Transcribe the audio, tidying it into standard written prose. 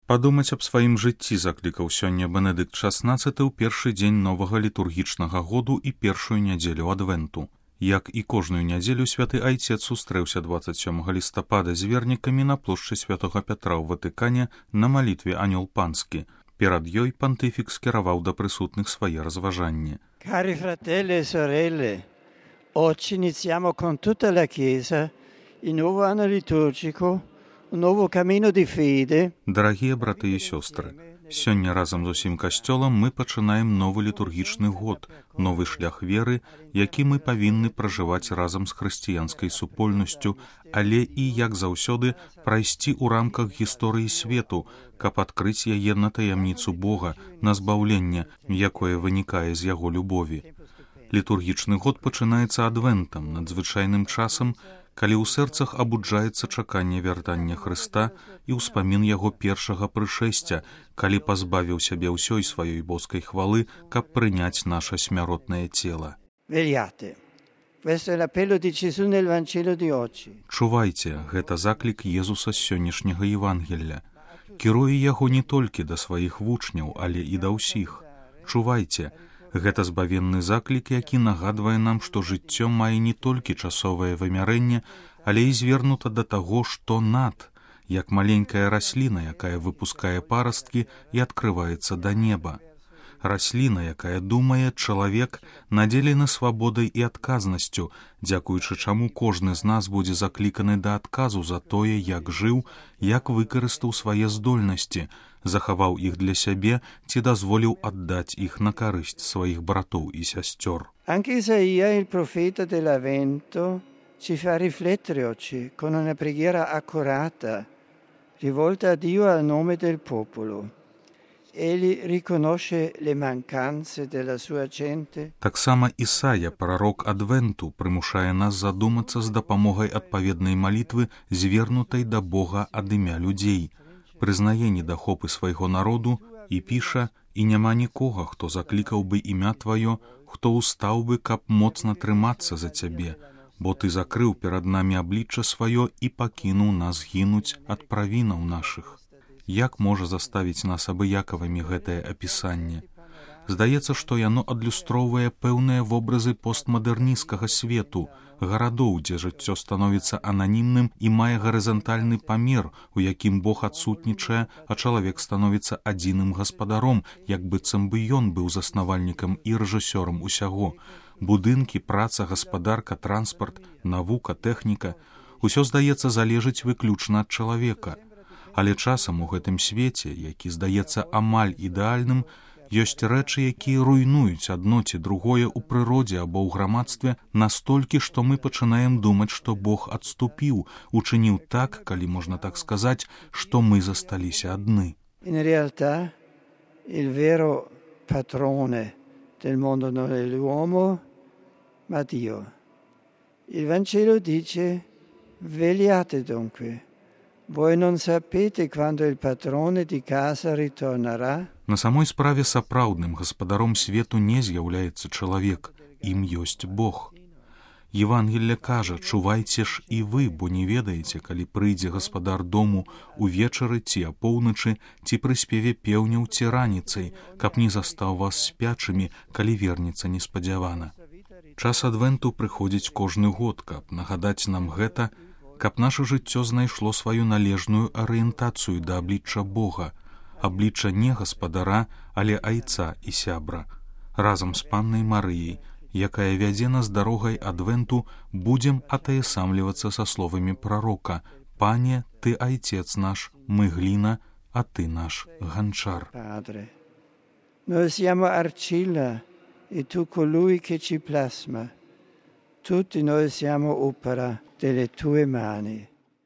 Падумаць аб сваім жыцці заклікаў сёння Бенедыкт XVI ў першы дзень новага літургічнага году і першую нядзелю адвенту. Як і кожную нядзелю святы айцец сустрэўся 27 лістапада з вернікамі на плошчы святога Пятра ў Ватыкане на малітве Анёл Панскі. Перад ёй пантыфік скіраваў да прысутных свае разважанні. Cari fratelli e sorelle, oggi iniziamo con tutta la Chiesa il nuovo anno liturgico, un nuovo cammino di fede. Дарагія браты і сёстры, сёння разам з усім касцёлам мы пачынаем новы літургічны год, новы шлях веры, які мы павінны пражываць разам з хрысціянскай супольнасцю, але і, як заўсёды, прайсці ў рамках гісторыі свету, каб адкрыць яе на таямніцу Бога, на збаўленне, якое вынікае з яго любові. Літургічны год пачынаецца адвентам, надзвычайным часам, калі ў сэрцах абуджаецца чаканне вяртання Хрыста і ўспамін яго першага прышэсця, калі пазбавіў сябе ўсёй сваёй боскай хвалы, каб прыняць наша смяротнае цела. Чувайце, гэта заклік Езуса з сённяшняга Евангелля. Кіруе яго не толькі да сваіх вучняў, але і да ўсіх. Чувайце, гэта збавенны заклік, які нагадвае нам, што жыццё мае не толькі часовае вымярэнне, але і звернута да таго, што над, як маленькая расліна, якая выпускае парасткі і адкрываецца да неба. Расліна, якая думае, чалавек надзелены свабодай і адказнасцю, дзякуючы чаму кожны з нас будзе закліканы да адказу за тое, як жыў, як выкарыстаў свае здольнасці, захаваў іх для сябе ці дазволіў аддаць іх на карысць сваіх братоў і сясцёр. Anche Isaia, il profeta dell'Avvento, ci fa riflettere oggi con una preghiera accurata, rivolta a Dio a nome del popolo. Egli riconosce le mancanze della sua gente. Таксама Ісая, прарок адвенту, прымушае нас задумацца з дапамогай адпаведнай малітвы, звернутай да Бога ад імя людзей. Прызнае недахопы свайго народу і піша: «І няма нікога, хто заклікаў бы імя тваё, хто устаў бы, каб моцна трымацца за цябе, бо ты закрыў перад намі аблічча сваё і пакінуў нас гінуць ад правінаў нашых». Як можа заставіць нас абыякавымі гэтае апісанне? Здаецца, што яно адлюстроўвае пэўныя вобразы постмадэрнісцкага свету, гарадоў, дзе жыццё становіцца ананімным і мае гарызантальны памер, у якім Бог адсутнічае, а чалавек становіцца адзіным гаспадаром, як быццам бы ён быў заснавальнікам і рэжысёрам усяго. Будынкі, праца, гаспадарка, транспарт, навука, тэхніка – усё, здаецца, залежыць выключна ад чалавека. Але часам у гэтым свеце, які здаецца амаль ідэальным, ёсць рэчы, якія руйнуюць адно ці другое ў прыродзе або ў грамадстве настолькі, што мы пачынаем думаць, што Бог адступіў, учыніў так, калі можна так сказаць, што мы засталіся адны. In realtà, il vero padrone del mondo non è l'uomo, ma Dio. Il Vangelo dice: vegliate dunque. Voi non sapete quando il padrone di casa ritornerà? На самой справе сапраўдным гаспадаром свету не з'яўляецца чалавек, ім ёсць Бог. Евангелле кажа: чувайце ж і вы, бо не ведаеце, калі прыйдзе гаспадар дому увечары ці апоўначы, ці пры спеве пеўняў ці раніцай, каб не застаў вас спячымі, калі вернецца неспадзявана. Час адвенту прыходзіць кожны год, каб нагадаць нам гэта, каб наша жыццё знайшло сваю належную арыентацыю да аблічча Бога, аблічча не гаспадара, але айца і сябра. Разам з паннай Марыяй, якая вядзе нас дарогай адвенту, будзем атаясамлівацца са словамі прарока: «Пане, ты айцец наш, мы гліна, а ты наш ганчар». Noi siamo arcilla e tu colui che ci plasma. Tutti noi siamo opera delle tue mani.